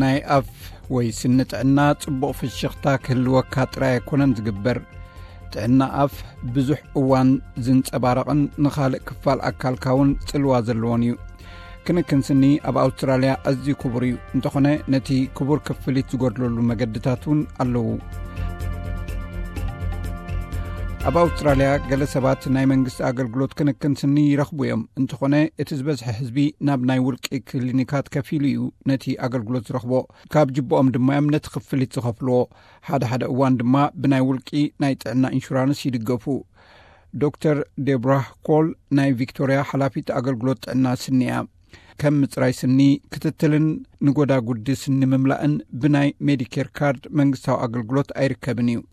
ናይ ኣፍ ወይ ስኒ ጥዕና ጽቡቕ ፍሽኽታ ክህልወካ ጥራይ ኣይኮነን ዝግበር። ጥዕና ኣፍ ብዙሕ እዋን ዝንጸባረቕን ንኻልእ ክፋል ኣካልካ እውን ጽልዋ ዘለዎን እዩ። ክንክን ስኒ ኣብ ኣውስትራልያ ኣዝዩ ክቡር እዩ። እንተኾነ ነቲ ክቡር ክፍሊት ዝጎድለሉ መገድታት እውን ኣለዉ። ኣብ ኣውስትራልያ ገለ ሰባት ናይ መንግስቲ ኣገልግሎት ክንክን ስኒ ይረኽቡ እዮም። እንተኾነ እቲ ዝበዝሐ ህዝቢ ናብ ናይ ውልቂ ክሊኒካት ከፊሉ እዩ ነቲ ኣገልግሎት ዝረኽቦ። ካብ ጅብኦም ድማ እዮም ነቲ ክፍሊት ዝኸፍልዎ። ሓደ ሓደ እዋን ድማ ብናይ ውልቂ ናይ ጥዕና ኢንሹራንስ ይድገፉ። ዶክተር ዴብራ ኮል ናይ ቪክቶርያ ሓላፊት ኣገልግሎት ጥዕና ስኒ እያ። ከም ምጽራይ ስኒ፣ ክትትልን ንጎዳጉዲ ስኒ ምምላእን ብናይ ሜዲኬር ካርድ መንግስታዊ ኣገልግሎት ኣይርከብን እዩ።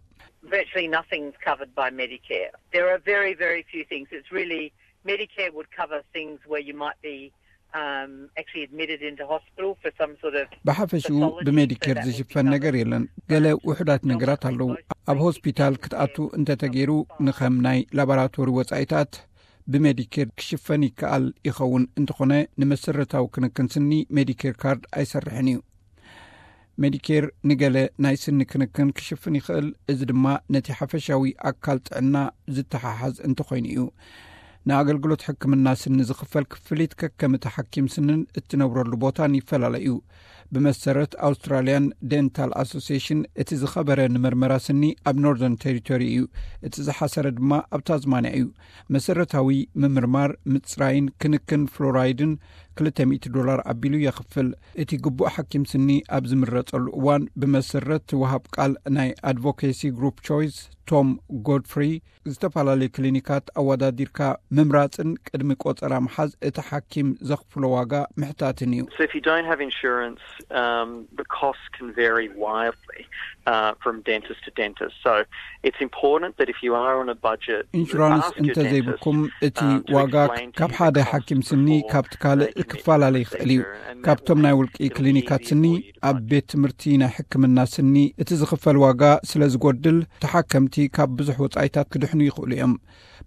Virtually nothing's covered by Medicare. There are very, very few things. It's really, Medicare would cover things where you might be um, actually admitted into hospital for some sort of ብሓፈሽኡ ብሜዲኬር ዝሽፈን ነገር የለን። ገለ ውሑዳት ነገራት ኣለዉ። ኣብ ሆስፒታል ክትኣቱ እንተተገይሩ፣ ንኸም ናይ ላቦራቶሪ ወጻኢታት ብሜዲኬር ክሽፈን ይከኣል ይኸውን። እንተኾነ ንመሰረታዊ ክንክን ስኒ ሜዲኬር ካርድ ኣይሰርሕን እዩ። ሜዲኬር ንገለ ናይ ስኒ ክንክን ክሽፍን ይኽእል። እዚ ድማ ነቲ ሓፈሻዊ ኣካል ጥዕና ዝተሓሓዝ እንተኾይኑ እዩ። ንኣገልግሎት ሕክምና ስኒ ዝኽፈል ክፍሊት ከከም እቲ ሓኪም ስንን እትነብረሉ ቦታን ይፈላለ እዩ። ብመሰረት ኣውስትራልያን ዴንታል ኣሶሲሽን፣ እቲ ዝኸበረ ንመርመራ ስኒ ኣብ ኖርዘርን ቴሪቶሪ እዩ። እቲ ዝሓሰረ ድማ ኣብ ታዝማንያ እዩ። መሰረታዊ ምምርማር፣ ምጽራይን ክንክን ፍሎራይድን ክልተ ሚእቲ ዶላር ኣቢሉ የኽፍል። እቲ ግቡእ ሓኪም ስኒ ኣብ ዝምረጸሉ እዋን፣ ብመሰረት ወሃብ ቃል ናይ ኣድቮኬሲ ግሩፕ ቾይስ ቶም ጎድፍሪ፣ ዝተፈላለዩ ክሊኒካት ኣወዳዲርካ ምምራጽን ቅድሚ ቆጸራ ምሓዝ እቲ ሓኪም ዘኽፍሎ ዋጋ ምሕታትን እዩ። So if you don't have insurance, um, the costs can vary wildly uh, from dentist to dentist. So it's important that if you are on a budget, ኢንሹራንስ እንተዘይብልኩም እቲ ዋጋ ካብ ሓደ ሓኪም ስኒ ካብቲ ካልእ ክፈላለ ይኽእል እዩ። ካብቶም ናይ ውልቂ ክሊኒካት ስኒ ኣብ ቤት ትምህርቲ ናይ ሕክምና ስኒ እቲ ዝኽፈል ዋጋ ስለ ዝጎድል፣ ተሓከምቲ ካብ ብዙሕ ወጻኢታት ክድሕኑ ይኽእሉ እዮም።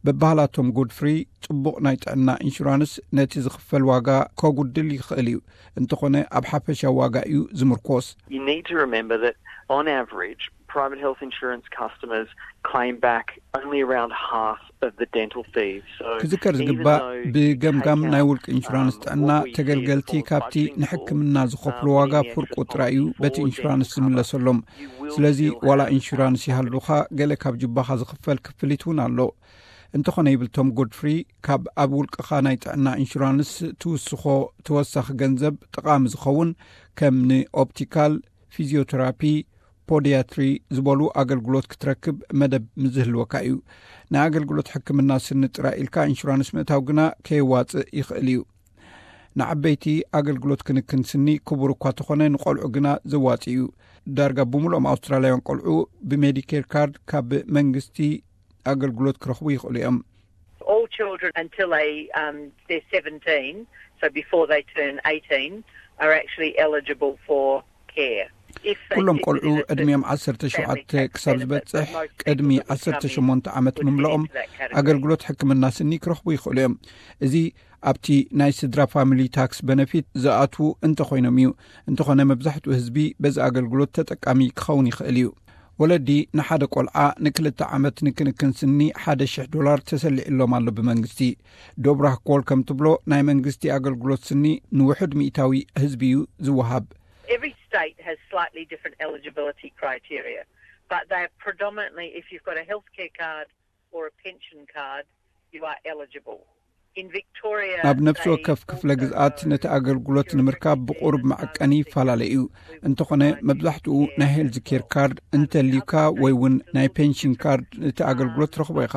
በባህላቶም ጎድፍሪ፣ ጽቡቕ ናይ ጥዕና ኢንሹራንስ ነቲ ዝኽፈል ዋጋ ከጉድል ይኽእል እዩ። እንተኾነ ኣብ ሓፈሻዊ ዋጋ እዩ ዝምርኮስ። You need to remember that on average, private health insurance customers claim back only around half of the dental fees. So ክዝከር ዝግባእ፣ ብገምጋም ናይ ውልቂ ኢንሹራንስ ጥዕና፣ ተገልገልቲ ካብቲ ንሕክምና ዝኸፍሉ ዋጋ ፍርቁ ጥራይ እዩ በቲ ኢንሹራንስ ዝምለሰሎም። ስለዚ ዋላ ኢንሹራንስ ይሃሉኻ፣ ገለ ካብ ጅባኻ ዝኽፈል ክፍሊት እውን ኣሎ። እንተኾነ፣ ይብል ቶም ጎድፍሪ፣ ካብ ኣብ ውልቅኻ ናይ ጥዕና ኢንሹራንስ ትውስኾ ተወሳኺ ገንዘብ ጠቓሚ ዝኸውን፣ ከም ንኦፕቲካል፣ ፊዚዮቴራፒ፣ ፖዲያትሪ ዝበሉ ኣገልግሎት ክትረክብ መደብ ምዝህልወካ እዩ። ናይ ኣገልግሎት ሕክምና ስኒ ጥራይ ኢልካ ኢንሹራንስ ምእታው ግና ከየዋጽእ ይኽእል እዩ። ንዓበይቲ ኣገልግሎት ክንክን ስኒ ክቡር እኳ ተኾነ፣ ንቆልዑ ግና ዘዋጽእ እዩ። ዳርጋ ብምሉኦም ኣውስትራልያውያን ቆልዑ ብሜዲኬር ካርድ ካብ መንግስቲ ኣገልግሎት ክረኽቡ ይኽእሉ እዮም። All children until they um, they're seventeen, so before they turn eighteen, are actually eligible for care. If they ኩሎም sit ቆልዑ within a ዕድሚኦም certain ዓሰርተ ሸውዓተ family tax ክሳብ benefit, ዝበጽሕ but most people ቅድሚ would ዓሰርተ come in ሸሞንተ ዓመት would fit ምምልኦም into that category. ኣገልግሎት ሕክምና ስኒ ክረኽቡ ይኽእሉ እዮም። እዚ ኣብቲ ናይ ስድራ ፋሚሊ ታክስ በነፊት ዝኣትዉ እንተኾይኖም እዩ። እንተኾነ፣ መብዛሕትኡ ህዝቢ በዚ ኣገልግሎት ተጠቃሚ ክኸውን ይኽእል እዩ። ወለዲ ንሓደ ቆልዓ ንክልተ ዓመት ንክንክን ስኒ ሓደ ሽሕ ዶላር ተሰሊዕሎም ኣሎ ብመንግስቲ። ዶብራህ ኮል ከም ትብሎ፣ ናይ መንግስቲ ኣገልግሎት ስኒ ንውሑድ ሚእታዊ ህዝቢ እዩ ዝወሃብ። Every state has slightly different eligibility criteria, but they're predominantly, if you've got a healthcare card or a pension card, you are eligible. In Victoria, ኣብ ነፍሲ ወከፍ ክፍለ ግዝኣት ነቲ ኣገልግሎት ንምርካብ ብቑሩብ መዐቀኒ ይፈላለ እዩ። እንተኾነ፣ መብዛሕትኡ ናይ ሄልዝ ኬር ካርድ እንተልዩካ ወይ እውን ናይ ፔንሽን ካርድ፣ ነቲ ኣገልግሎት ትረኽቦ ኢኻ።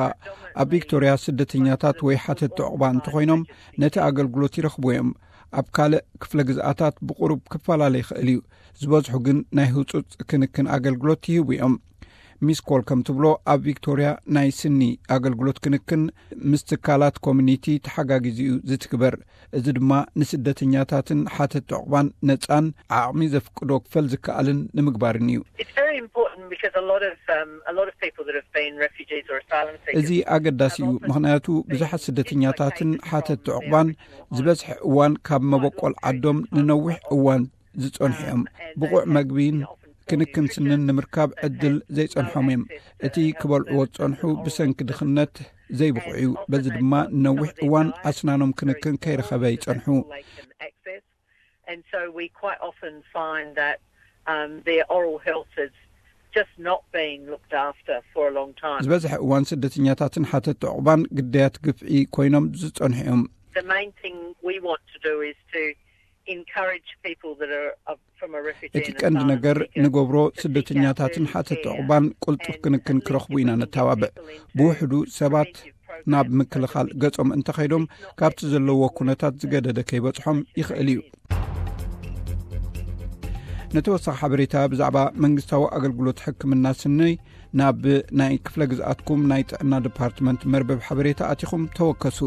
ኣብ ቪክቶርያ፣ ስደተኛታት ወይ ሓተቲ ዕቑባ እንተኾይኖም፣ ነቲ ኣገልግሎት ይረኽቡ እዮም። ኣብ ካልእ ክፍለ ግዝኣታት ብቑሩብ ክፈላለ ይኽእል እዩ። ዝበዝሑ ግን ናይ ህጹጽ ክንክን ኣገልግሎት ይህቡ እዮም። ሚስ ኮል ከም ትብሎ፣ ኣብ ቪክቶርያ ናይ ስኒ ኣገልግሎት ክንክን ምስ ትካላት ኮሚኒቲ ተሓጋጊዙ እዩ ዝትግበር። እዚ ድማ ንስደተኛታትን ሓተቲ ዕቑባን ነጻን ዓቕሚ ዘፍቅዶ ክፈል ዝከኣልን ንምግባርን እዩ። It's very important because a lot of um, a lot of people that have been refugees or asylum seekers. እዚ ኣገዳሲ እዩ፣ ምኽንያቱ ብዙሓት ስደተኛታትን ሓተቲ ዕቑባን ዝበዝሐ እዋን ካብ መበቆል ዓዶም ንነዊሕ እዋን ዝጸንሑ እዮም። ብቑዕ መግቢን ክንክን ስንን ንምርካብ ዕድል ዘይጸንሖም እዮም። እቲ ክበልዕዎ ዝጸንሑ ብሰንኪ ድኽነት ዘይብቑዕ እዩ። በዚ ድማ ነዊሕ እዋን ኣስናኖም ክንክን ከይረኸበ ይጸንሑ። And so we quite often find that um, their oral health is just not being looked after for a long time. ዝበዝሐ እዋን ስደተኛታትን ሓተቲ ዕቑባን ግዳያት ግፍዒ ኮይኖም ዝጸንሑ እዮም። The main thing we want to do is to encourage people that are uh, from a refugee እቲ ቀንዲ ነገር ንገብሮ ስደተኛታትን ሓተቲ ዕቑባን ቅልጡፍ ክንክን ክረኽቡ ኢና ነተባብዕ። ብውሕዱ ሰባት ናብ ምክልኻል ገጾም እንተኸይዶም ካብቲ ዘለዎ ኩነታት ዝገደደ ከይበጽሖም ይኽእል እዩ። ንተወሳኺ ሓበሬታ ብዛዕባ መንግስታዊ ኣገልግሎት ሕክምና ስኒ ናብ ናይ ክፍለ ግዝኣትኩም ናይ ጥዕና ዲፓርትመንት መርበብ ሓበሬታ ኣቲኹም ተወከሱ።